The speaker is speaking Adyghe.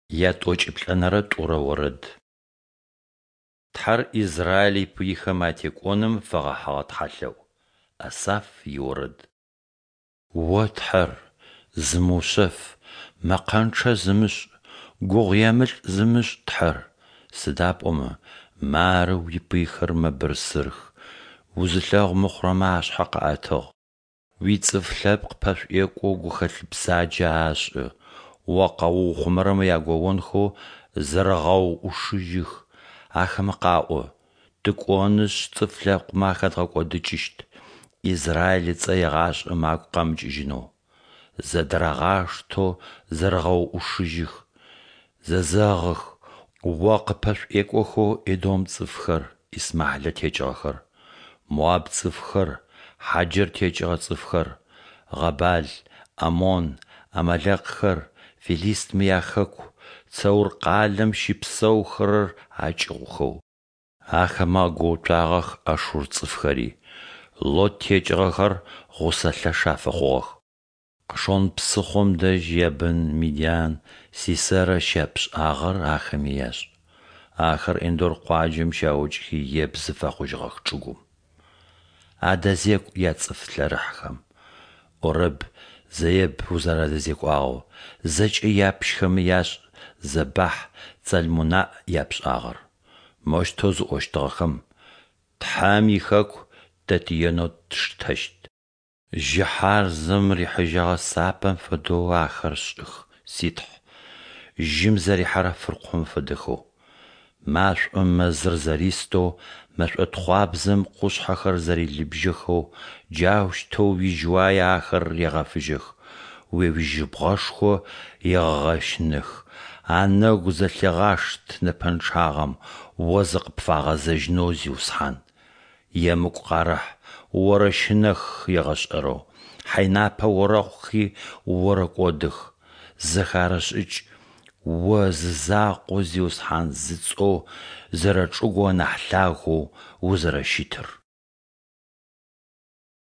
Ятӏокӏиплӏэнэрэ тӏурэ орэд. Тхьэр Израиль ипыйхэм атекӏоным фэгъэхьыгъэ тхьэлъэӏу. Асаф иорэд. О Тхьэр, зымыушъэф, мэкъэнчъэ зымышӏ, гугъуемылӏ зымышӏ Тхьэр, сыда пӏомэ мары уипыйхэр мэбырсырых, узылъэгъу мыхъурэмэ ашъхьэ къаӏэтыгъ. Уицӏыф лъэпкъ пэшӏуекӏоу гухэлъ бзаджэ ашӏы, О къэуухъумэрэмэ ягоонхэу зэрэгъэуӏушыжьых, ахэмэ къаӏо: Тыкӏонышъ цӏыф лъэпкъмэ ахэдгъэкӏодыкӏыщт, Израиль ыцӏэ егъашӏэм агу къэмыкӏыжьынэу. Зэдырагъаштэу зэрэгъэуӏушыжьых, зэзэгъых, О къыппэшӏуекӏохэу Эдом цӏыфхэр, Исмахьилэ текӏыгъэхэр, Моаб цӏыфхэр, Хьаджэр текӏыгъэ цӏыфхэр, Гъэбал, ӏамон, ӏамалэкхэр, фылистмэ яхэку, Цэур къалэм щыпсэухэрэр акӏыгъухэу. Ахэмэ агоуцуагъэх ашур цӏыфхэри, Лот текӏыгъэхэр гъусэ лъэш афэхъугъэх. Къышон псыхъом дэжь Ябын мидиан Сисэрэ щяпшӏагъэр ахэми яшӏ. Ахэр Ендор къуаджэм щаукӏхи ебзы фэхъужьыгъэх чӏыгум. Адэзекӏу яцӏыф лъэрыхьхэм, ӏорэб, Зэеб узэрадэзекӏуагъэу, зэкӏэ япщхэми яшӏ Зэбахь, Цалмунаӏ япшӏагъэр. Моущтэу зыӏощтыгъэхэм: «Тхьэм ихэку тэ тиенэу тштэщт». Жьыхьарзэм рихьыжьэгъэ сапэм фэдэу ахэр шӏых, си Тхьэ, жьым зэрихьэрэ фыркъом фэдэхэу. Машӏом мэзыр зэристэу, мэшӏо тхъуабзэм къушъхьэхэр зэрилыбжьэхэу, джаущтэу уижьыуае ахэр регъэфыжьэх, О уижьыбгъэшхо егъэщынэх. Анэгу зэлъегъашт нэпэнчъагъэм, О зыкъыпфагъэзэжьынэу, Зиусхьан. Емыкӏу къарэхь, орэщынэх егъэшӏэрэу, хьэйнапэ орэхъухи, орэкӏодых. Зэхарэшӏыкӏ О зизакъоу Зиусхьан зыцӏэу, зэрэчӏыгоу анахь лъагэу узэрэщытыр.